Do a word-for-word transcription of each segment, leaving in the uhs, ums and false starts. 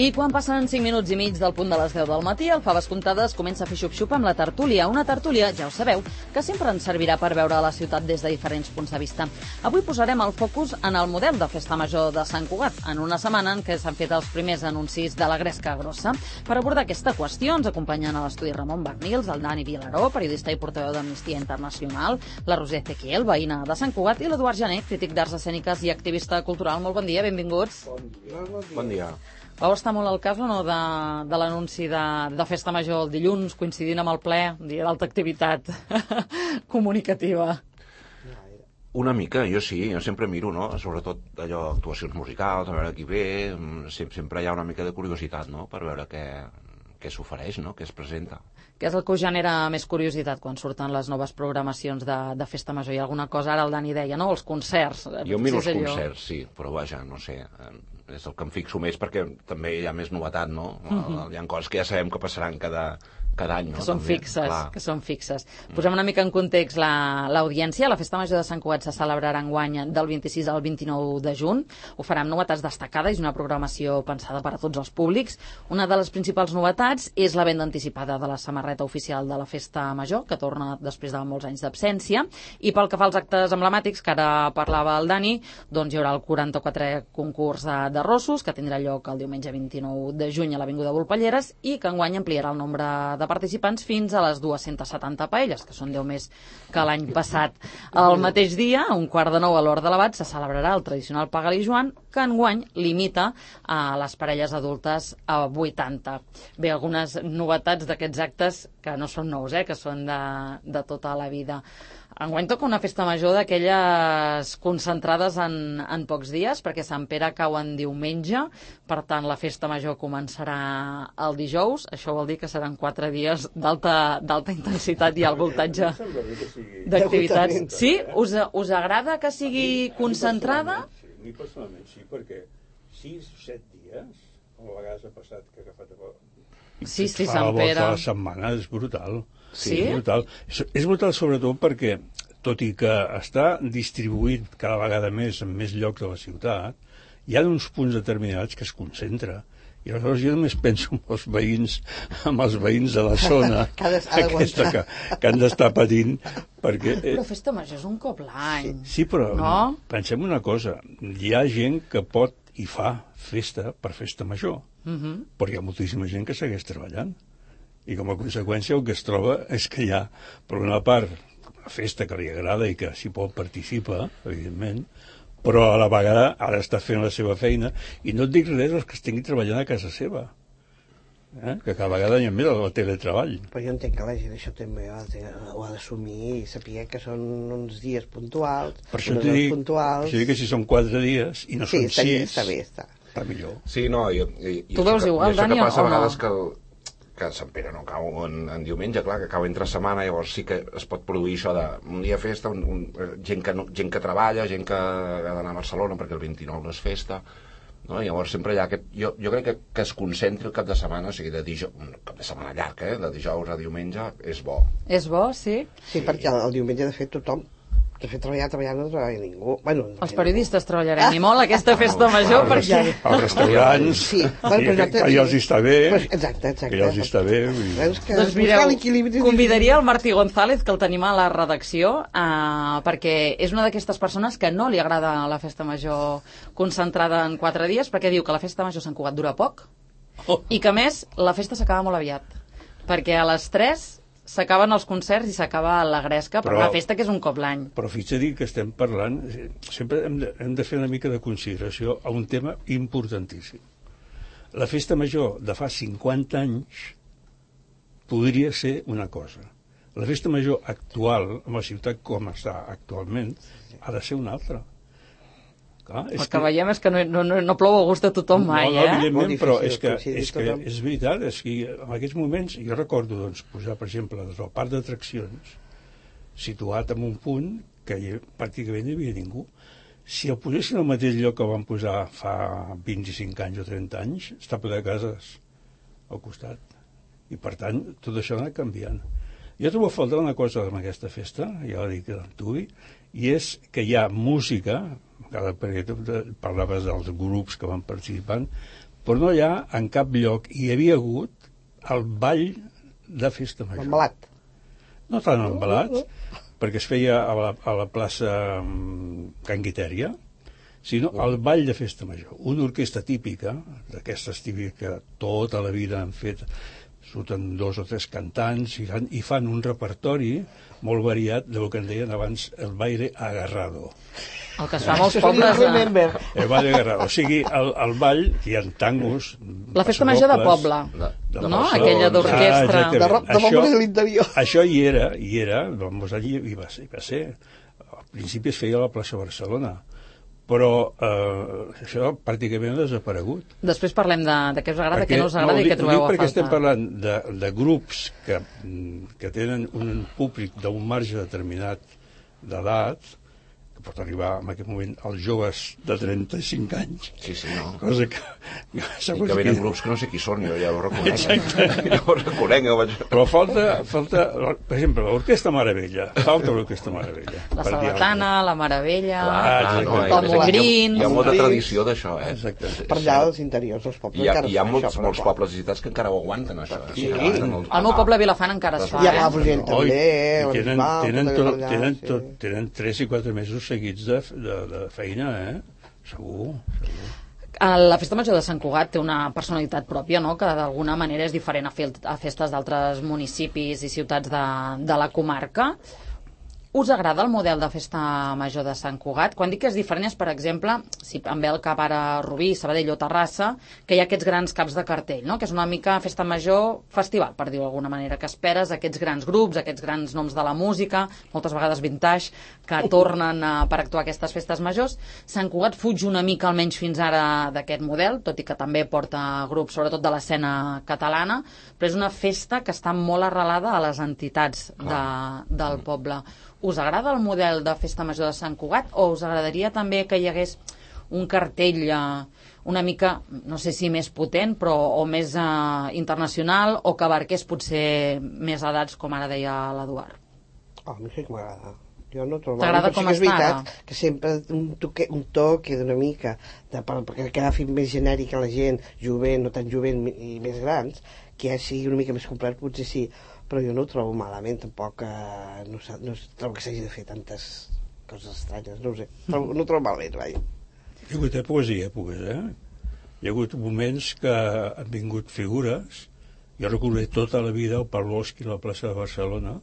I quan passen cinc minuts i mig del punt de les deu del matí, el Faves Comptades comença a fer xup-xup amb la tertúlia. Una tertúlia, ja ho sabeu, que sempre ens servirà per veure la ciutat des de diferents punts de vista. Avui posarem el focus en el model de festa major de Sant Cugat, en una setmana en què s'han fet els primers anuncis de la gresca grossa. Per abordar aquesta qüestió ens acompanyen a l'estudi Ramon Barnils, el Dani Vilaró, periodista i portaveu d'Amnistia Internacional, la Roser Ezequiel, veïna de Sant Cugat, i l'Eduard Jané, crític d'arts escèniques i activista cultural. Molt bon dia, benvinguts. Bon dia. Bon dia. Vau estar molt al cas o no de, de l'anunci de, de festa major el dilluns, coincidint amb el ple, dia d'alta activitat comunicativa? Una mica, jo sí, jo sempre miro, no? Sobretot allò, actuacions musicals, a veure qui ve, sempre hi ha una mica de curiositat, no?, per veure què, què s'ofereix, no?, què es presenta. Què és el que us genera més curiositat quan surten les noves programacions de, de festa major? Hi ha alguna cosa, ara el Dani deia, no?, els concerts. Jo miro els concerts, sí, però vaja, no sé, és el que em fixo més perquè també hi ha més novetat, no? Uh-huh. Hi ha coses que ja sabem que passaran cada... cada any, no? Que són també, fixes, clar. que són fixes. Posem una mica en context l'audiència. La, la Festa Major de Sant Cugat se celebrarà enguany del vint-i-sis al vint-i-nou de juny. Ho farà amb novetats destacades i una programació pensada per a tots els públics. Una de les principals novetats és la venda anticipada de la samarreta oficial de la Festa Major, que torna després de molts anys d'absència. I pel que fa als actes emblemàtics, que ara parlava el Dani, doncs hi haurà el quaranta-quatrè concurs de, de rossos, que tindrà lloc el diumenge vint-i-nou de juny a l'Avinguda Volpelleres i que enguany ampliarà el nombre de participants fins a les dues-centes setanta paelles, que són deu més que l'any passat. El mateix dia, a un quart de nou a l'Hort de l'Abat, se celebrarà el tradicional Pagal i Joan, que enguany limita a les parelles adultes a vuitanta. Bé, algunes novetats d'aquests actes que no són nous, eh, que són de, de tota la vida. Enguany toca una festa major d'aquelles concentrades en, en pocs dies, perquè Sant Pere cau en diumenge, per tant la festa major començarà el dijous. Això vol dir que seran quatre dies d'alta intensitat i al voltatge d'activitats. Sí? Us, us agrada que sigui concentrada? Sí, mi personalment sí, perquè sis o set dies, a vegades ha passat que ha agafat a... Sí, sí, Sant Pere. A la setmana és brutal. Sí? És brutal. És, és brutal sobretot perquè, tot i que està distribuït cada vegada més en més llocs de la ciutat, hi ha uns punts determinats que es concentra. I aleshores jo només penso en els veïns, en els veïns de la zona aquesta que, que han d'estar patint perquè... Eh, però festa major és un cop l'any. Sí, sí, però no? Pensem una cosa, hi ha gent que pot i fa festa per festa major, uh-huh. però hi ha moltíssima gent que segueix treballant. I com a conseqüència el que es troba és que hi ha, per una part, una festa que li agrada i que s'hi pot participar, evidentment, però a la vegada ha d'estar fent la seva feina, i no et dic res dels que estigui treballant a casa seva, eh? Que cada vegada hi ha més el teletreball. Però jo entenc que la gent això també ho ha d'assumir i saber que són uns dies puntuals, per això unes dic, hores puntuals... Per això dic que si són quatre dies i no sí, són sis, està bé, està. està millor. Sí, no, i, i, i tu veus igual, Dani, o no? I això que passa a vegades que... El... que Sant Pere no cau en, en diumenge, clar, que cau entre setmana, llavors sí que es pot produir això de un dia festa, un, un, gent, que no, gent que treballa, gent que ha d'anar a Barcelona perquè el vint-i-nou no és festa, no? Llavors sempre hi ha aquest... Jo, jo crec que, que es concentri el cap de setmana, o sigui, de dijous, un cap de setmana llarg, eh? De dijous a diumenge, és bo. És bo, sí? Sí, sí. Perquè el, el diumenge, de fet, tothom... De fet, treballar, treballar, no treballa ningú. Bueno, no els periodistes ningú. Treballarem i molt aquesta festa ah, major, els, perquè... Els restaurants, sí, bueno, que, que ja els està bé. Pues, exacte, exacte. Que ja els està bé. I... Que doncs mireu, convidaria el Martí González, que el tenim a la redacció, eh, perquè és una d'aquestes persones que no li agrada la festa major concentrada en quatre dies, perquè diu que la festa major a Sant Cugat dura poc, oh. i que, a més, la festa s'acaba molt aviat, perquè a les tres... s'acaben els concerts i s'acaba la gresca, però, però una festa que és un cop l'any. Però fixa-t'hi que estem parlant, sempre hem de, hem de fer una mica de consideració a un tema importantíssim. La festa major de fa cinquanta anys podria ser una cosa. La festa major actual, en la ciutat com està actualment, ha de ser una altra. Clar, el que, que veiem és que no, no, no plou a gust de tothom mai, no, no, eh? Evidentment, però és que, és que és veritat, és que en aquests moments, jo recordo doncs, posar, per exemple, des del parc d'atraccions, situat en un punt que hi, pràcticament no hi havia ningú. Si el posessin al mateix lloc que van posar fa vint-i-cinc anys o trenta anys, està ple de cases al costat. I, per tant, tot això ha anat canviant. Jo trobo a faltar una cosa en aquesta festa, ja ho dic d'antuvi, i és que hi ha música, perquè parlaves dels grups que van participant, però no hi ha en cap lloc. Hi havia hagut el ball de festa major. Embalat. No tan embalat, perquè es feia a la, a la plaça Can Guitèria, sinó el ball de festa major. Una orquestra típica, d'aquestes típiques que tota la vida han fet, surten dos o tres cantants i fan, i fan un repertori molt variat del que en deien abans el baile agarrado. El que es fa a molts pobles... De... El baile agarrado. O sigui, el, el ball, que hi ha tangos... La festa major de poble, de, de no? Barcelona. Aquella d'orquestra... Ah, de rock de poble de l'interior. Això hi era, hi era, doncs allí hi va ser, hi va ser. Al principi es feia a la plaça Barcelona, però eh, això pràcticament ha desaparegut. Després parlem de, de què us agrada, perquè, què no us agrada no, i què trobeu a falta. Perquè estem parlant de, de grups que, que tenen un públic d'un marge determinat d'edat, que pot arribar en aquest moment als joves de trenta-cinc anys. Sí, sí, no. Cosa que... I que venen grups que no sé qui són, jo ja ho reconec. Exacte. Ja ho reconec. Jo vaig... Però falta, falta, per exemple, l'Orquestra Meravella. Falta l'Orquestra Meravella. La Sardatana, la Meravella, Ah, no, el Mogrins... Hi ha molta tradició d'això, eh? Exacte. Per allà als interiors dels pobles Hi ha, encara hi ha es fa molts, això, molts pobles visitats que encara ho aguanten, això. Eh? Sí. Al meu poble Vilafant encara es fa, Hi ha eh? Palafrugell també, Oi, tenen, l'Arrimbau, tenen, tot tot, allà, tenen, sí. tot, tenen tres i quatre mesos seguits de, de, de feina, eh? Segur, segur. La Festa Major de Sant Cugat té una personalitat pròpia, no?, que d'alguna manera és diferent a, fe a festes d'altres municipis i ciutats de, de la comarca. Us agrada el model de Festa Major de Sant Cugat? Quan dic que és diferent és, per exemple, si em ve el cap ara Rubí, Sabadell o Terrassa, que hi ha aquests grans caps de cartell, no?, que és una mica Festa Major festival, per dir-ho d'alguna manera, que esperes aquests grans grups, aquests grans noms de la música, moltes vegades vintage, que tornen a, per actuar a aquestes festes majors. Sant Cugat fuig una mica, almenys fins ara, d'aquest model, tot i que també porta grups, sobretot de l'escena catalana, però és una festa que està molt arrelada a les entitats de, del poble. Us agrada el model de Festa Major de Sant Cugat o us agradaria també que hi hagués un cartell eh, una mica, no sé si més potent, però o més eh, internacional, o que abarqués potser més edats, com ara deia l'Eduard? Oh, a mi sí que m'agrada. Jo no trobo... T'agrada com sí està és ara? veritat que sempre un toque, un toque d'una mica, de, per, perquè agafi més genèric a la gent, jovent, no tan jovent i més grans, que ja sigui una mica més complet, potser sí, però jo no ho trobo malament, tampoc, eh, no, no trobo que s'hagi de fer tantes coses estranyes, no ho sé, trobo, no ho trobo malament, vaja. Hi ha hagut èpoques i èpoques, eh? Hi ha hagut moments que han vingut figures, jo recordo tota la vida el Pavlovsky a la plaça de Barcelona,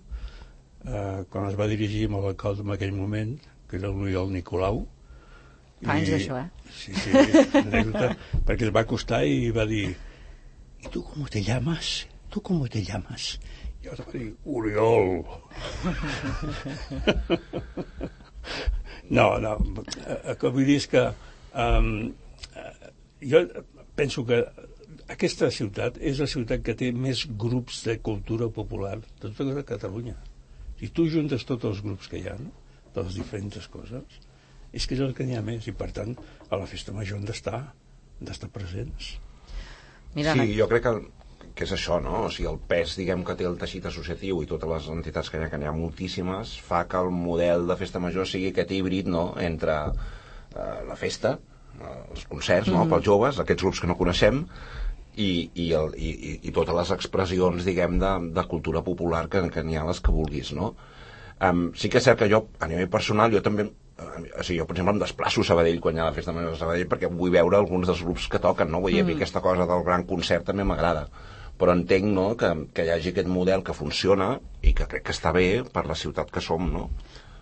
eh, quan es va dirigir amb l'alcalde en aquell moment, que era l'Oriol Nicolau. Fa anys d'això, eh? Sí, sí, anècdota, perquè es va acostar i va dir: ¿y tú cómo te llamas? ¿Tú cómo te llamas? I jo vaig dir: Oriol. No, no, el que vull dir és que um, jo penso que aquesta ciutat és la ciutat que té més grups de cultura popular de tota Catalunya. Si tu juntes tots els grups que hi ha, no?, de les diferents coses, és que és el que n'hi ha més, i per tant a la festa major han d'estar han d'estar presents. Mira, sí, jo crec que, que és això, no? O sigui, el pes, diguem, que té el teixit associatiu i totes les entitats que hi ha, que n'hi ha moltíssimes, fa que el model de festa major sigui aquest híbrid, no?, entre eh, la festa, eh, els concerts, no?, mm-hmm. pels joves, aquests grups que no coneixem, i, i, el, i, i totes les expressions, diguem, de, de cultura popular que, que n'hi ha les que vulguis, no? Um, sí que és cert que jo, a nivell personal, jo també, uh, o sigui, jo, per exemple, em desplaço a Sabadell quan hi ha la festa major de Sabadell perquè vull veure alguns dels grups que toquen, no? Vull dir, mm. aquesta cosa del gran concert també m'agrada, però entenc, no?, que, que hi hagi aquest model que funciona i que crec que està bé per la ciutat que som, no?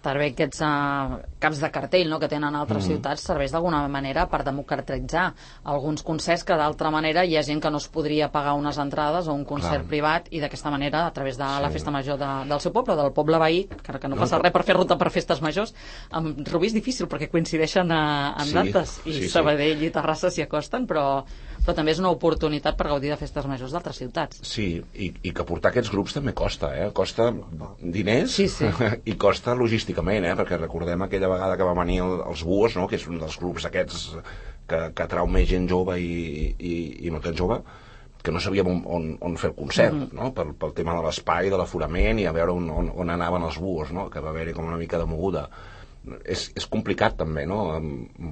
També aquests uh, caps de cartell, no?, que tenen altres mm. ciutats serveix d'alguna manera per democratitzar alguns concerts que d'altra manera hi ha gent que no es podria pagar unes entrades o un concert Clar. privat, i d'aquesta manera, a través de sí. la festa major de, del seu poble, del poble veí, que, que no passa no, res per fer ruta per festes majors, amb Rubí és difícil perquè coincideixen a, en sí, dates, i sí, Sabadell sí. i Terrassa s'hi acosten, però però també és una oportunitat per gaudir de festes majors d'altres ciutats. Sí, i, i que portar aquests grups també costa, eh? Costa diners sí, sí. i costa logísticament, eh? Perquè recordem aquella vegada que va venir el, els Buos, no?, que és un dels grups aquests que, que atrau més gent jove i, i, i no tan jove, que no sabíem on, on, on fer el concert, mm-hmm. no?, pel, pel tema de l'espai, de l'aforament, i a veure on, on, on anaven els Buos, no?, que va haver-hi com una mica de moguda. és, és complicat també, no?,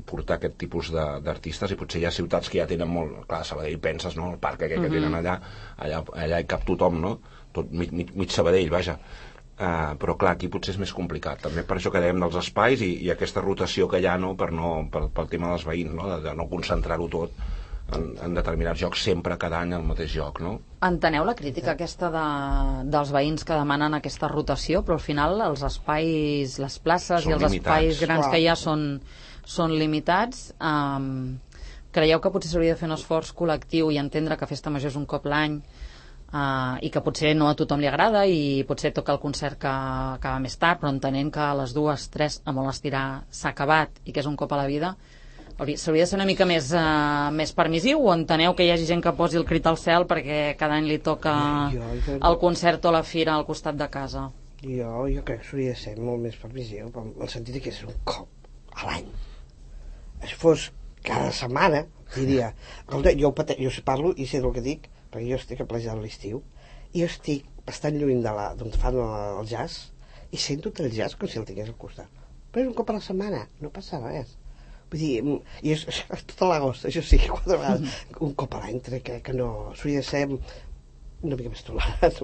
portar aquest tipus d'artistes, i potser hi ha ciutats que ja tenen molt, clar, Sabadell penses, no?, el parc aquell que tenen allà, allà, allà hi cap tothom, no?, tot mig, mig, mig Sabadell, vaja. Uh, però clar, aquí potser és més complicat, també per això que dèiem dels espais i, i aquesta rotació que hi ha, no?, per no, per, pel tema dels veïns, no?, de, de no concentrar-ho tot en, en determinats jocs sempre cada any al mateix joc, no? Enteneu la crítica aquesta de, dels veïns que demanen aquesta rotació, però al final els espais, les places són i els limitats. Espais grans que hi ha són, són limitats. Um, creieu que potser s'hauria de fer un esforç col·lectiu i entendre que Festa Major és un cop l'any, uh, i que potser no a tothom li agrada i potser toca el concert que acaba més tard, però entenent que a les dues, tres, a molt estirar s'ha acabat i que és un cop a la vida, s'hauria de ser una mica més, uh, més permissiu, o enteneu que hi hagi gent que posi el crit al cel perquè cada any li toca jo, jo, el concert o la fira al costat de casa? Jo, jo crec que s'hauria de ser molt més permissiu, en el sentit que és un cop a l'any. Si fos cada setmana, diria, jo, jo parlo i sé el que dic, perquè jo estic a Platja de l'Estiu, i jo estic bastant lluny de la, d'on fan el jazz, i sento el jazz com si el tingués al costat. Però és un cop a la setmana, no passa res. Vull dir, i és, és tot l'agost, això sí, quatre vegades, un cop a l'any, crec que no, s'hauria de ser una mica més tolerat.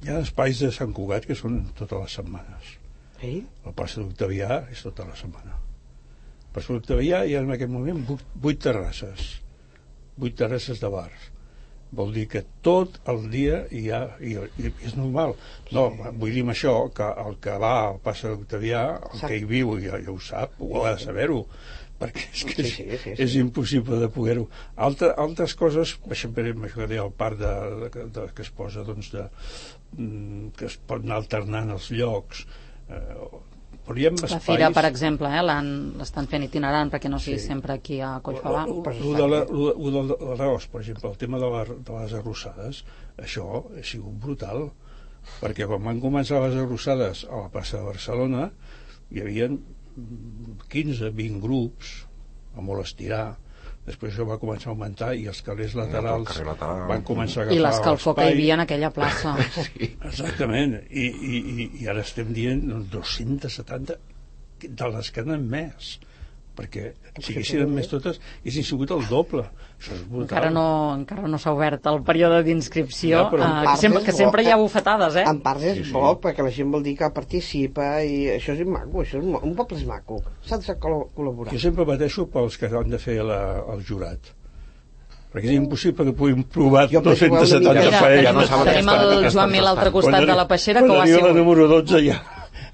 Hi ha espais de Sant Cugat que són totes les setmanes. Sí? La plaça d'Octavià és tota la setmana. La plaça d'Octavià hi ha en aquest moment vuit, vuit terrasses, vuit terrasses de bars. Vol dir que tot el dia hi ha, i, i és normal. No, sí. Vull dir amb això que el que va al plaça d'Octavià, el que hi viu ja, ja ho sap, ho ha de saber-ho, perquè és que és, sí, sí, sí, sí. és impossible de poder-ho. Altre, altres coses, això que deia el parc de, de, de, que es posa, doncs, de, que es pot anar alternant els llocs, eh, però hi ha espais... La fira, per exemple, eh, l'estan fent itinerant perquè no sigui sí. sempre aquí a Collfabà. Ho de l'arròs, per exemple, el tema de, la, de les arrossades, això ha sigut brutal, perquè quan van començar les arrossades a la plaça de Barcelona hi havia quinze vint grups a molt estirar, després això va començar a augmentar i els carrers laterals ja, lateral. van començar a agafar i l'escalfor que hi havia en aquella plaça. Sí. Exactament, I, i, i ara estem dient doncs, dos-cents setanta de les que n'han més, perquè si haguessin més totes haguessin sigut el doble. Això és brutal. Encara no, encara no s'ha obert el període d'inscripció, ja, uh, que sempre, que sempre hi ha bufetades, eh? En part és sí, sí. bo, perquè la gent vol dir que participa i això és maco, això és un poble és maco, s'ha de col·laborar. Jo sempre pateixo pels que han de fer la, el jurat, perquè és impossible que puguin provar dos-cents setanta parelles. Tenim el Joan Mil a l'altre costat de la peixera, que ho ha sigut. Quan arriba la número dotze ja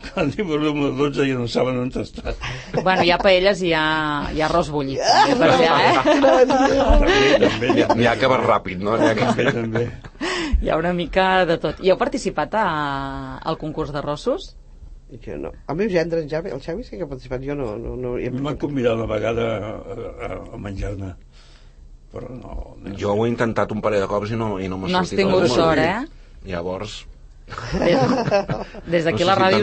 quan diu el número dotze ja no saben on està. Bueno, hi ha paelles i hi ha, hi ha arròs bullit. Per allà, eh? També, també. N'hi ha que va ràpid, no? N'hi ha que... també. Hi ha una mica de tot. I heu participat a, al concurs d'arrossos? Jo no. El meu gendre, en Xavi, el Xavi sí que ha participat, jo no... no, no m'han convidat una vegada a, a, a menjar-ne, però no, no... Jo ho he intentat un parell de cops i no, i no m'ha no sortit. No has tingut sort, eh? Llavors... Des d'aquí no sé la ràdio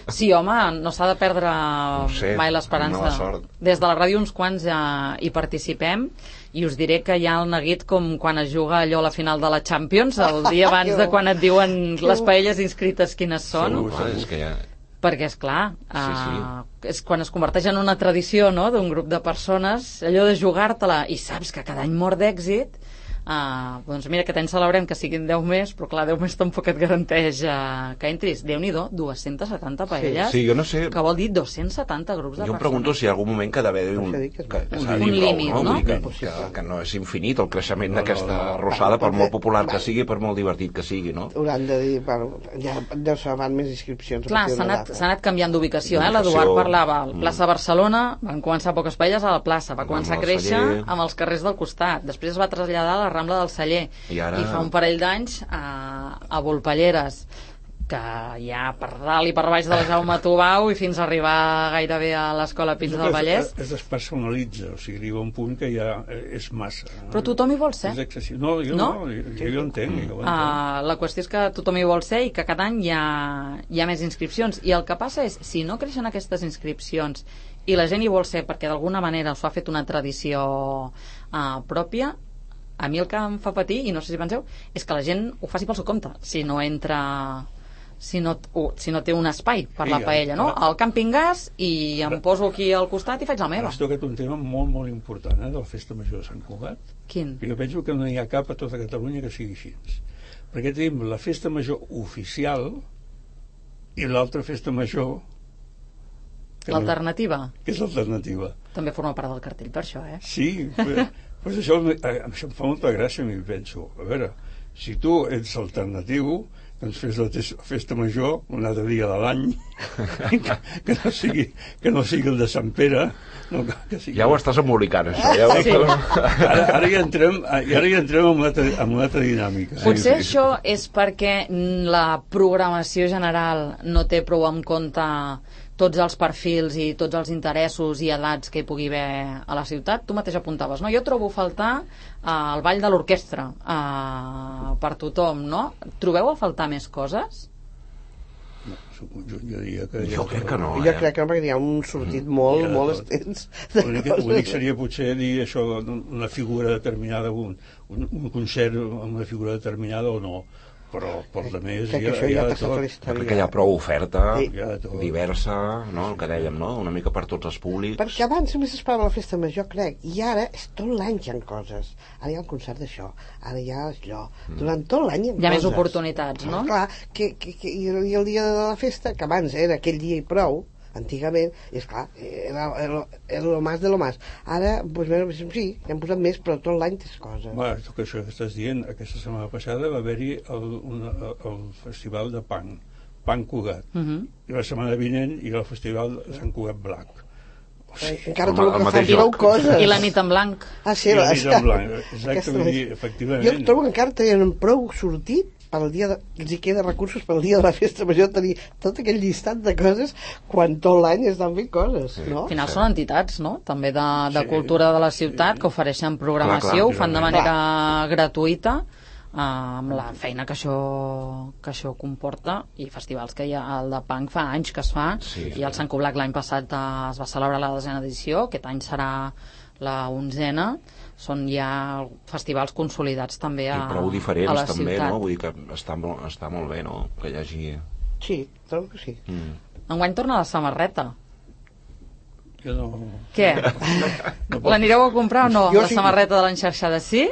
si sí, home, no s'ha de perdre no sé, mai l'esperança. Des de la ràdio uns quants ja hi participem i us diré que hi ha el neguit com quan es juga allò a la final de la Champions el dia abans de quan et diuen les paelles inscrites quines són. Sí, clar, és que ja... perquè és clar uh, sí, sí. és quan es converteix en una tradició, no?, d'un grup de persones, allò de jugar-te-la i saps que cada any mor d'èxit. Uh, doncs mira, aquest any celebrem que siguin deu més, però clar, deu més tampoc et garanteix uh, que entris. Déu-n'hi-do, dos-cents setanta paelles, sí, sí, jo no sé. Que vol dir dos-cents setanta grups de persones. Jo em pregunto si hi ha algun moment que ha d'haver un, que, que, un, un límit, no? Que, que, que no és infinit el creixement no, d'aquesta no, no, arrossada, per molt popular que sigui, per molt divertit que sigui, no? Hauran de dir, bueno, ja deu ser van més inscripcions. Clar, s'ha anat, anat canviant d'ubicació, eh? L'Eduard parlava a la plaça Barcelona, van començar poques paelles a la plaça, va començar a créixer amb els carrers del costat, després es va traslladar a la Rambla del Celler, I, ara... i fa un parell d'anys a, a Volpelleres, que hi ha per dalt i per baix de la Jaume Tubau i fins a arribar gairebé a l'escola Pins del Vallès. Es, es despersonalitza, o sigui, arriba un punt que ja és massa. Però tothom hi vol ser. És excessiu. No, jo no, no jo, jo, jo entenc. Jo entenc. Uh, la qüestió és que tothom hi vol ser i que cada any hi ha, hi ha més inscripcions. I el que passa és, si no creixen aquestes inscripcions i la gent hi vol ser perquè d'alguna manera s'ho ha fet una tradició uh, pròpia, a mi el que em fa patir, i no sé si penseu, és que la gent ho faci pel seu compte. Si no entra si no, uh, si no té un espai per Sí, la paella, no? ara- Al càmping gas i em poso aquí al costat i faig la Ara meva. has tocat un tema molt, molt important, eh, de la Festa Major de Sant Cugat. Quin? Jo penso que no hi ha cap a tota Catalunya que sigui així. Perquè tenim la Festa Major oficial i l'altra Festa Major que no- L'alternativa que és l'alternativa. també forma part del cartell, per això, eh? Sí, però, però això, eh, això em fa molta gràcia, m'hi penso. A veure, si tu ets alternatiu, doncs fes la tes- festa major un altre dia de l'any, que, que, no sigui, que no sigui el de Sant Pere, no, que, que sigui... Ja ho estàs embolicant, això. Ja ho Sí. Ara, ara, ja entrem, ara ja entrem en una altra, en una altra dinàmica. Potser sí. això és perquè mm, la programació general no té prou en compte tots els perfils i tots els interessos i edats que hi pugui haver a la ciutat. Tu mateix apuntaves, no? Jo trobo a faltar eh, el ball de l'orquestra eh, per tothom, no? Trobeu a faltar més coses? No, és un conjunt, jo diria que... Jo crec que no, Jo eh? crec que no, perquè hi ha un sortit molt, Ja, molt tot. extens de L'únic coses. l'únic seria potser dir això, una figura determinada, un, un, un concert amb una figura determinada o no, però per la més Crec hi que ha, això hi ja ha de passa tot. per Jo història. crec que hi ha prou oferta, Sí. Hi ha de tot. diversa, no? El que dèiem, no? Una mica per tots els públics. Perquè abans només esperava la festa major, crec, i ara és tot l'any hi ha coses. Ara hi ha el concert d'això, ara hi ha allò. Durant tot l'any hi ha Hi ha més coses. oportunitats, no? Clar, que, que, que, i, i el dia de la festa, que abans era aquell dia i prou, antigament, i esclar, era, era, era lo más de lo más. Ara, doncs, bueno, sí, hi han posat més, però tot l'any tens coses. Va, tot això que estàs dient, aquesta setmana passada va haver-hi el, una, el festival de Punk, Punk Cugat, Mhm. i la setmana vinent hi ha el festival de Sant Cugat Black. O Eh, sigui, Encara el trobo ma- el que mateix fan prou lloc. coses. I la nit en blanc. Ah, sí, I la la- nit en blanc, exacte, aquesta vull dir, és- efectivament. Jo trobo que encara tenen prou sortit per al dia de, els hi queda recursos per al dia de la festa major tenir tot aquell llistat de coses quan tot l'any estan fent coses, no? Al final són entitats, no? També de, de Sí, cultura de la ciutat sí. que ofereixen programació, Clar, clar, ho fan de clar. manera gratuïta, eh, amb la feina que això, que això comporta, i festivals que hi ha, el de Punk fa anys que es fa, Sí, i el Sant Coblac l'any passat eh, es va celebrar la desena edició, aquest any serà la onzena, són ja festivals consolidats també a, I prou a diferents la també, ciutat. no? Vull dir que està, molt- està molt bé, no? Que hi hagi... Sí, trobo que sí. Mm. Enguany torna la samarreta. Jo no... Què? no pot- L'anireu a comprar o no? Jo La sí. samarreta de l'enxarxada, sí?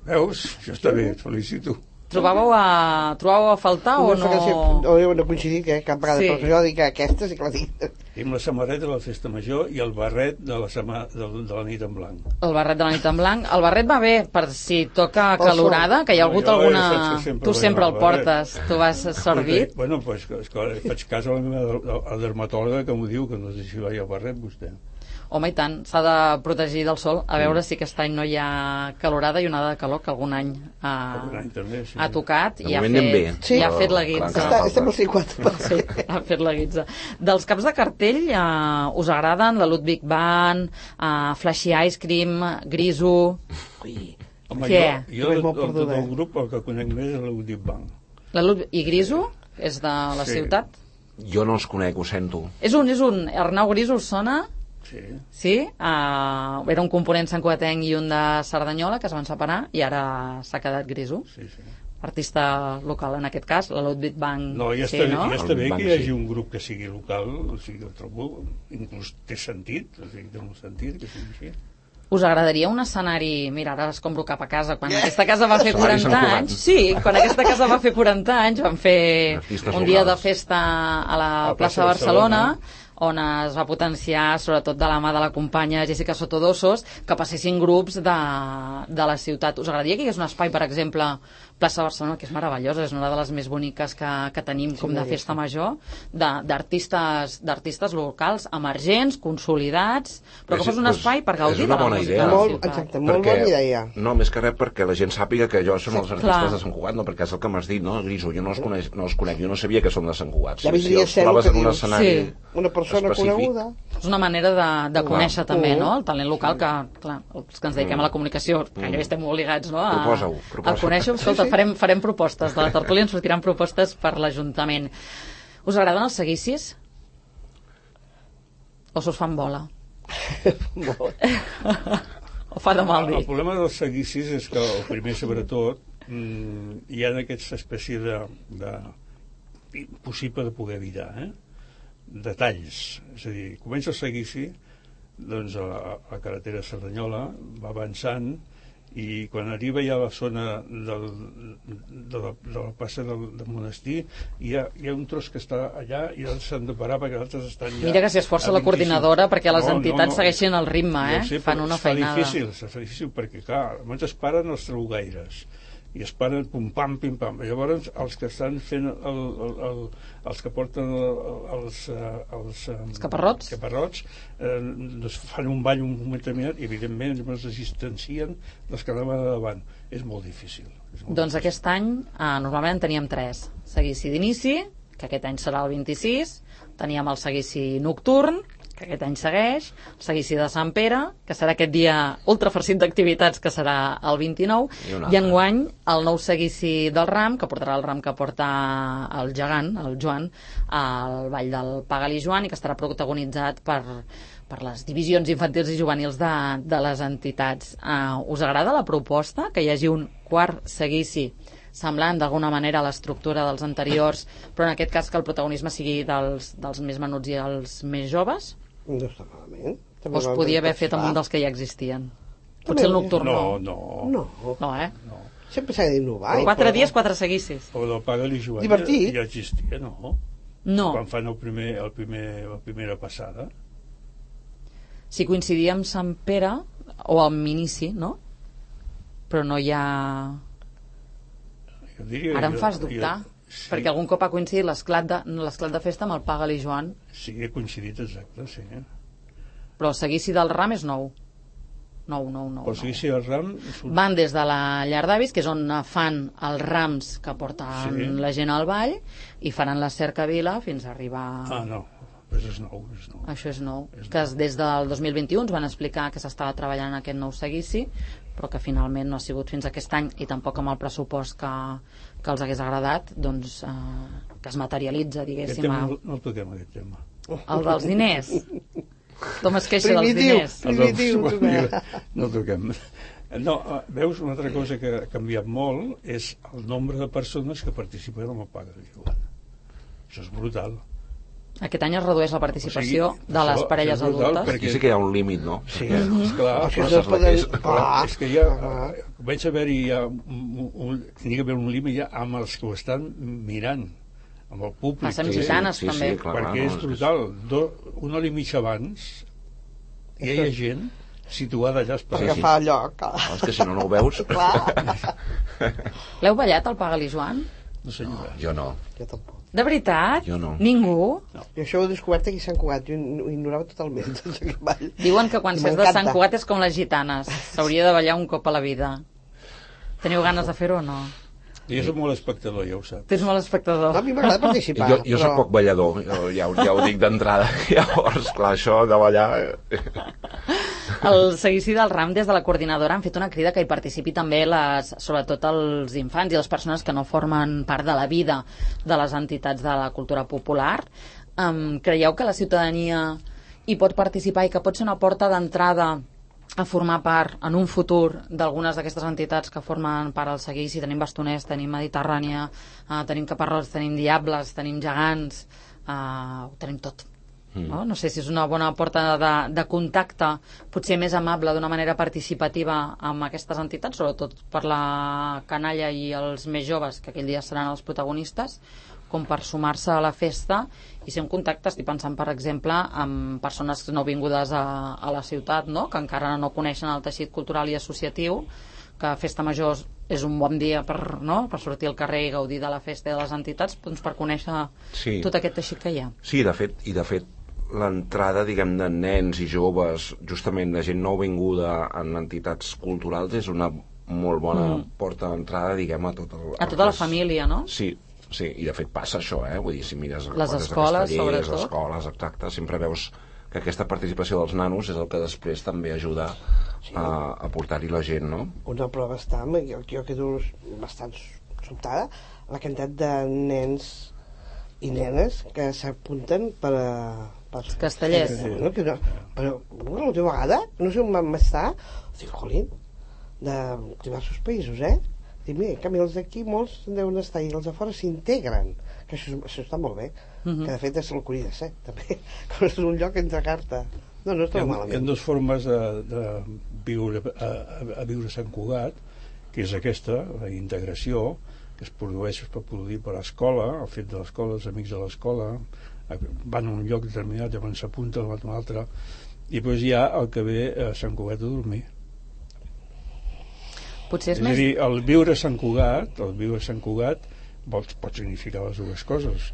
Veus? Això està bé, et felicito. Trobàveu a, trobàveu a faltar o fa gràcia, no? no, no he coincidit eh, cap vegada, Sí. sí. Però jo dic que aquesta sí que la dic. Tenim la samarreta de la festa major i el barret de la, sema, de, de la nit en blanc. El barret de la nit en blanc. El barret va bé per si toca Pel calorada, que hi ha hagut Jo, alguna... ja saps que sempre Tu vaig sempre amb el el barret. portes, tu vas servit. Bueno, pues, és que faig cas a la meva a la dermatòloga que m'ho diu, que no sé si va al barret vostè. Home, i tant, s'ha de protegir del sol. A veure si aquest any no hi ha calorada i onada de calor, que algun any ha, Algun any també, sí. ha tocat De i ha moment anem bé. fet, Sí. i ha fet la Clar, guitza. encara Està, falta. estem al cinquanta per Sí, cent. ha fet la guitza. Dels caps de cartell, eh, us agraden la Ludwig Band, eh, Flashy Ice Cream, Griso... Ui, Home, Què? jo, jo Res de, molt de, de, perduda, del eh? grup el que conec més és l'Udip Bank. La Ludwig... I Griso? És de la Sí. ciutat? Jo no els conec, ho sento. És un, és un... Arnau Griso us sona? Sí. Sí? Uh, era un component santcugatenc i un de Cerdanyola que es van separar i ara s'ha quedat Griso. Sí, sí. Artista local, en aquest cas, la Ludwig Bank. No, ja sí, està, no? ja està bé El banc, que hi hagi sí. un grup que sigui local, o sigui, jo trobo, inclús té sentit, o sigui, té un sentit que sigui així. Us agradaria un escenari... Mira, ara escombro cap a casa. Quan aquesta casa va fer Escenari Sant quaranta Cugat. anys... Sí, quan aquesta casa va fer quaranta anys van fer Artistes un dia de locals. festa a la A plaça de Barcelona, on es va potenciar, sobretot de la mà de la companya Jessica Sotodosos, que passessin grups de, de la ciutat. Us agradaria que hi hagués un espai, per exemple, plaça de Barcelona, que és meravellosa, és una de les més boniques que, que tenim com de festa major, de- d'artistes d'artistes locals, emergents, consolidats, però que És- fos un pues, espai per és gaudir una de la bona música idea. de la molt, ciutat. exacte, molt bona idea. No, més que res perquè la gent sàpiga que jo són els artistes Clar. de Sant Cugat, no, perquè és el que m'has dit, no, Griso, jo no els, coneix, no els conec, jo no sabia que són de Sant Cugat. Ja si, si vindria els a ser el trobes que en un dius. escenari Sí. Una persona específic. coneguda. És una manera de, de Clar. conèixer també, Mm. no?, el talent local que, clar, els que ens dediquem a la comunicació, que ja estem obligats, no?, a, Proposa-ho, proposa. a conèixer-ho. Escolta, Sí, sí. farem, farem propostes. De la tertúlia ens sortiran propostes per l'Ajuntament. Us agraden els seguicis? O se us fan bola? Molt. O fa de mal El dir? problema dels seguicis és que, el primer sobretot, mm, hi ha aquesta espècie de, de impossible de poder evitar, eh? Detalls, és a dir, comença el seguici, doncs a la, a la carretera Cerdanyola va avançant i quan arriba ja a la zona del, de, la, de la plaça del, del monestir hi ha, hi ha un tros que està allà i els s'han de parar perquè els altres estan ja... Mira que s'hi esforça la coordinadora perquè les no, entitats no, no, segueixin el ritme, eh? No sé, fan una feinada. Es fa difícil, es fa difícil perquè, clar, almenys es paren els trabugaires i es paren pum pam pim pam, llavors els que estan fent el, el, el, els que porten el, els, els, els caparrots, caparrots eh, doncs fan un ball un moment determinat i evidentment es distancien dels que anaven davant, és molt difícil, és molt doncs difícil. Aquest any eh, normalment en teníem tres, seguici d'inici, que aquest any serà el vint-i-sis, teníem el seguici nocturn, que aquest any segueix, el seguici de Sant Pere, que serà aquest dia ultrafarcit d'activitats, que serà el vint-i-nou, i, i enguany el nou seguici del Ram, que portarà el Ram que porta el gegant, el Joan, al Ball del Pagal i Joan, i que estarà protagonitzat per, per les divisions infantils i juvenils de, de les entitats. Uh, us agrada la proposta, que hi hagi un quart seguici semblant d'alguna manera a l'estructura dels anteriors, però en aquest cas que el protagonisme sigui dels, dels més menuts i els més joves? No està malament. O es podia haver fet amb un dels que ja existien? Potser el nocturn no. No, no. No, eh? No. Sempre s'ha d'innovar. Quatre dies, quatre seguicis. O del Pagal i Joan Divertit. Ja, ja existia, no? No. Quan fan el primer, el primer, la primera passada. Si coincidia amb Sant Pere, o amb inici, no? Però no hi ha... Jo diria, Ara em fas jo, dubtar. Jo, sí. Perquè algun cop ha coincidit l'esclat de, l'esclat de festa amb el Pagal i Joan. Sí, ha coincidit, exacte, sí. Però el seguici del Ram és nou. Nou, nou, nou. El seguici del Ram... Un... Van des de la llar d'avis, que és on fan els rams que porten sí. la gent al ball, i faran la cercavila fins a arribar... Ah, no, però és nou, és nou. Això és nou. És que nou. Des del dos mil vint-i-u ens van explicar que s'estava treballant en aquest nou seguici, però que finalment no ha sigut fins aquest any, i tampoc amb el pressupost que, que els hagués agradat, doncs eh, que es materialitza, diguéssim. Aquest tema a... no, no el toquem, aquest tema. El dels diners. Tothom es queixa dels Primitiu, diners. primitiu. No el toquem. No, veus, una altra cosa que ha canviat molt és el nombre de persones que participen en el Pagal i Joan. Això és brutal. Aquest any es redueix la participació O sigui, de les això parelles és brutal, adultes. Aquí sí que hi ha un límit, no? Sí, esclar, Això però, no es poden... és, clar, és que ja comença a haver-hi ja un, un, tenia que haver un límit ja amb els que ho estan mirant, amb el públic. Passem Sí, gitanes, sí, sí, també. sí, clar, perquè no, és brutal. Do, una hora i mitja abans ja hi ha gent situada allà Per esperant. agafar lloc. No, és que si no, no ho veus. L'heu ballat, el Pagal i Joan? No senyora. Jo no. Jo tampoc. De veritat? Jo no. Ningú? Jo això ho he descobert aquí a Sant Cugat. Jo ho ignorava totalment, tot aquest ball. Diuen que quan I s'és de m'encanta. Sant Cugat és com les gitanes. S'hauria de ballar un cop a la vida. Teniu ganes de fer-ho o no? Jo soc molt espectador, ja ho saps. Tens molt espectador. No, a mi m'agrada participar. Jo, jo però... soc poc ballador, jo, ja, ho- ja ho dic d'entrada. Llavors, clar, això de ballar... El seguici del Ram, des de la coordinadora, han fet una crida que hi participi també les, sobretot els infants i les persones que no formen part de la vida de les entitats de la cultura popular. Um, creieu que la ciutadania hi pot participar i que pot ser una porta d'entrada a formar part en un futur d'algunes d'aquestes entitats que formen part del seguici? Tenim Bastoners, tenim Mediterrània, uh, tenim Caparrots, tenim Diables, tenim Gegants, uh, ho tenim tot. No? no sé si és una bona porta de, de contacte, potser més amable, d'una manera participativa amb aquestes entitats, sobretot per la canalla i els més joves, que aquell dia seran els protagonistes, com per sumar-se a la festa i ser en contacte. Estic pensant, per exemple, amb persones no vingudes a, a la ciutat, no? Que encara no coneixen el teixit cultural i associatiu, que Festa Major és un bon dia per, no? per sortir al carrer i gaudir de la festa i de les entitats, doncs per conèixer Sí. tot aquest teixit que hi ha. Sí, de fet, i de fet l'entrada, diguem, de nens i joves, justament de gent nouvinguda en entitats culturals, és una molt bona mm. porta d'entrada, diguem, a tot el... A tota la família, no? Sí, sí, i de fet passa això, eh? Vull dir, si mires Les des escoles, de Castellers, sobretot. les escoles, exacte, sempre veus que aquesta participació dels nanos és el que després també ajuda sí. a, a portar-hi la gent, no? Una prova està, jo, jo quedo bastant sobtada, la quantitat de nens i nenes que s'apunten per a... Per, Castellers. No, que no, però una última vegada, no sé on vam estar, dic, jolín, de diversos països, eh? Dic, mira, en canvi els d'aquí molts deuen estar i els de fora s'integren, que això, això està molt bé, uh-huh. que de fet és el Curí de Set també, com és un lloc entre carta. No, no està malament. Hi ha dues formes de, de viure a, a viure a Sant Cugat, que és aquesta, la integració, que es produeix per produir per l'escola, el fet de l'escola, els amics de l'escola, van a un lloc determinat, llavors s'apunten a un altre, i després hi ha el que ve a Sant Cugat a dormir. Potser és, és més... a dir, el viure a Sant Cugat, el viure a Sant Cugat pot, pot significar les dues coses.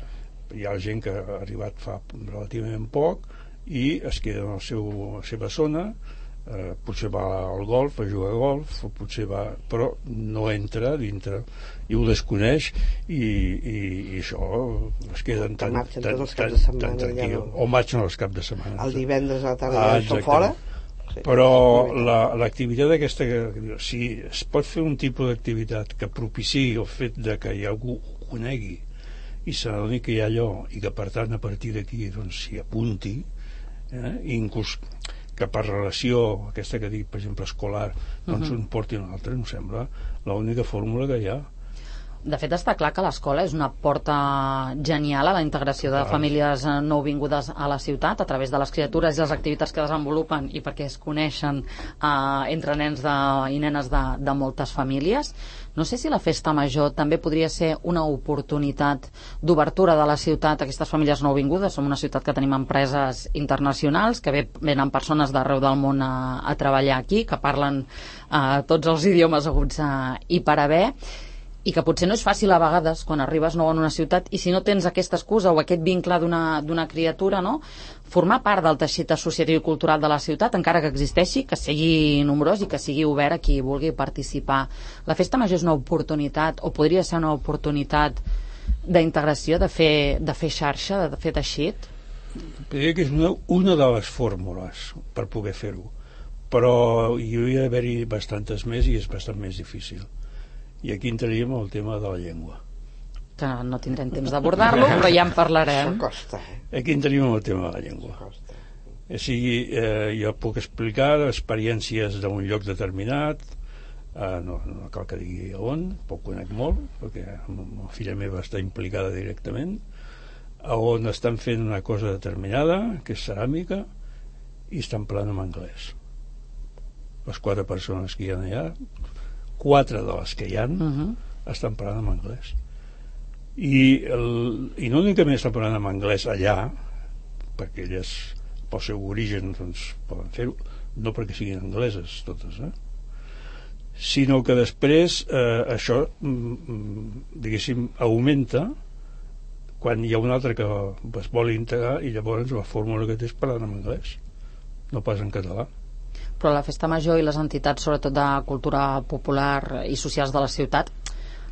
Hi ha gent que ha arribat fa relativament poc i es queda en el seu, la seva zona, eh, potser va al golf, a jugar a golf, o potser va, però no entra dintre i ho desconeix i, i, i això es queden tan, marxen tan, tots els tan, caps de setmana, tan tranquil, ja no. o marxen els caps de setmana. El divendres a la tarda ah, ja són fora. Sí. Però l'activitat aquesta, si es pot fer un tipus d'activitat que propiciï el fet de que hi ha algú ho conegui i s'adoni que hi ha allò i que per tant a partir d'aquí doncs s'hi apunti, eh? inclús que per relació aquesta que dic, per exemple, escolar, doncs uh-huh. un porti un altre, em sembla l'única fórmula que hi ha. De fet, està clar que l'escola és una porta genial a la integració de famílies nouvingudes a la ciutat a través de les criatures i les activitats que desenvolupen i perquè es coneixen eh, entre nens de, i nenes de, de moltes famílies. No sé si la festa major també podria ser una oportunitat d'obertura de la ciutat a aquestes famílies nouvingudes. Som una ciutat que tenim empreses internacionals, que venen persones d'arreu del món a, a treballar aquí, que parlen eh, tots els idiomes haguts eh, i per haver, i que potser no és fàcil a vegades quan arribes nou en una ciutat i si no tens aquesta excusa o aquest vincle d'una d'una criatura, no? Formar part del teixit associatiu i cultural de la ciutat, encara que existeixi, que sigui nombrós i que sigui obert a qui vulgui participar. La festa major és una oportunitat, o podria ser una oportunitat d'integració, de fer, de fer xarxa, de fer teixit? Diria que és una, una de les fórmules per poder fer-ho, però hi hauria d'haver-hi bastantes més i és bastant més difícil. I aquí entraríem al tema de la llengua. Que no tindrem temps d'abordar-lo, però ja en parlarem. Això costa, eh? Aquí entraríem al tema de la llengua. O sigui, eh, jo puc explicar experiències d'un lloc determinat, eh, no, no cal que digui on, poc conec molt, perquè la filla meva està implicada directament, on estan fent una cosa determinada, que és ceràmica, i estan parlant en anglès. Les quatre persones que hi ha allà, quatre de les que hi ha uh-huh. estan parlant en anglès i, el, i no únicament estan parlant en anglès allà perquè elles pel seu origen doncs, poden fer-ho, no perquè siguin angleses totes, eh? Sinó que després eh, això diguéssim augmenta quan hi ha un altre que es vol integrar i llavors la fórmula que té és parlar en anglès, no pas en català. Però la festa major i les entitats, sobretot de cultura popular i socials de la ciutat,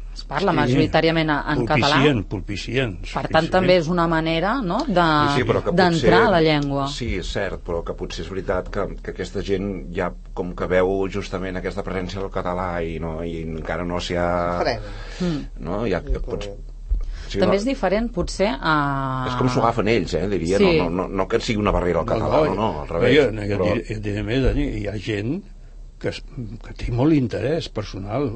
es parla sí, majoritàriament en català. Pulpicien, per tant, sí, també és una manera, no?, de, sí, sí, d'entrar a la llengua. Sí, és cert, però que potser és veritat que, que aquesta gent ja com que veu justament aquesta presència del català i, no, i encara no s'hi ha... Mm. No, ja pots... Sí, també no. és diferent, potser... A... És com s'ho agafen ells, eh, diria. Sí. No, no, no, no que sigui una barrera al català, no, no, no al revés. No, jo, però... jo diré més, hi ha gent que, que té molt interès personal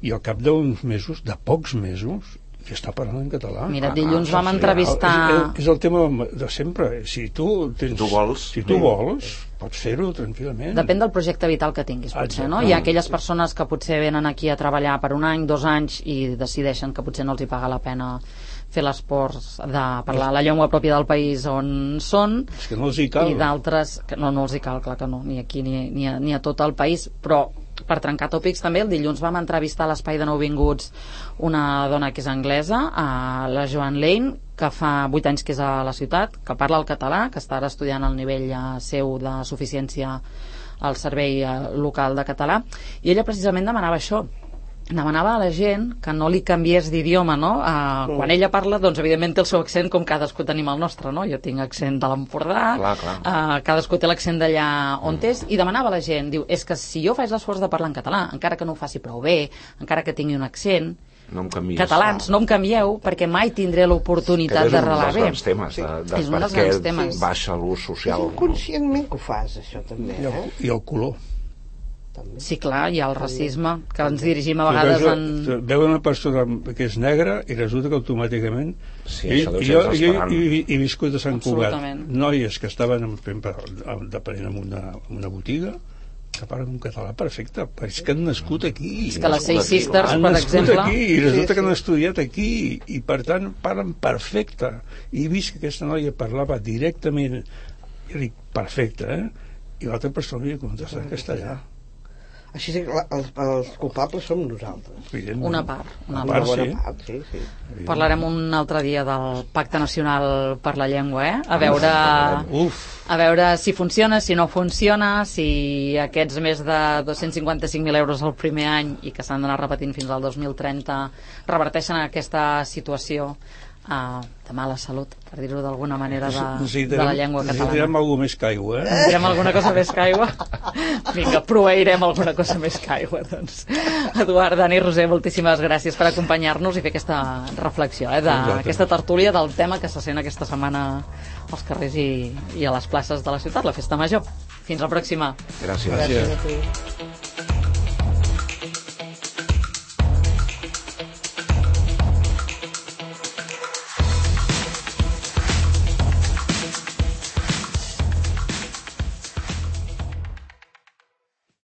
i al cap d'uns mesos, de pocs mesos, que està parlant en català. Mira, dilluns ah, vam entrevistar... És, és el tema de sempre. Si tu, tens, si tu vols, si tu vols pots fer-ho tranquil·lament. Depèn del projecte vital que tinguis, potser, no? Hi ha aquelles persones que potser venen aquí a treballar per un any, dos anys, i decideixen que potser no els hi paga la pena fer l'esforç de parlar la llengua pròpia del país on són. És que no els hi cal. I d'altres... que no, no els hi cal, clar que no, ni aquí ni, ni, a, ni a tot el país, però per trencar tòpics també, el dilluns vam entrevistar a l'Espai de Nouvinguts una dona que és anglesa, a la Joan Lane, que fa vuit anys que és a la ciutat, que parla el català, que està ara estudiant el nivell eh, seu de suficiència al servei eh, local de català, i ella precisament demanava això, demanava a la gent que no li canviés d'idioma, no? Uh, quan ella parla, doncs evidentment té el seu accent com cadascú tenim el nostre, no? Jo tinc accent de l'Empordà, uh, cadascú té l'accent d'allà on mm. és, i demanava a la gent, diu, és que si jo faig l'esforç de parlar en català, encara que no ho faci prou bé, encara que tingui un accent, no em canvies, catalans, no em canvieu, perquè mai tindré l'oportunitat d'arrelar bé. És un dels grans temes, de, de és un dels grans temes. Baixa l'ús social. És inconscientment que ho fas, això també, eh? I el, i el color. també. Sí, clar, hi ha el racisme, que ens dirigim a vegades sí, en... Veu una persona que és negra i resulta que automàticament... Sí, I, això deu ser jo, jo desesperant. he, he viscut a Sant Cugat. Absolutament. Noies que estaven en, depenent en una, en una botiga que parlen un català perfecte, però és que han nascut aquí. És que les Seis Sisters, han per nascut exemple... aquí i resulta Sí, sí. que han estudiat aquí i per tant parlen perfecte. I he vist que aquesta noia parlava directament, jo dic, perfecte, eh? I l'altra persona li contesta en castellà. Així que la- els, els culpables som nosaltres. Evidentment. Una part, una Una part, part, Una sí. bona part, sí, sí. Parlarem un altre dia del Pacte Nacional per la Llengua, eh? A veure, Uf, a veure si funciona, si no funciona, si aquests més de dos-cents cinquanta-cinc mil euros el primer any i que s'han d'anar repetint fins al dos mil trenta reverteixen aquesta situació uh, de mala salut, per dir-ho d'alguna manera, de, de la llengua catalana. Necessitarem alguna més que aigua, eh? Necessitarem alguna cosa més que aigua? Vinga, proveirem alguna cosa més que aigua, doncs. Eduard, Dani, Roser, moltíssimes gràcies per acompanyar-nos i fer aquesta reflexió, eh, d'aquesta tertúlia del tema que se sent aquesta setmana als carrers i, i a les places de la ciutat, la Festa Major. Fins la pròxima. Gràcies. Gràcies a tu.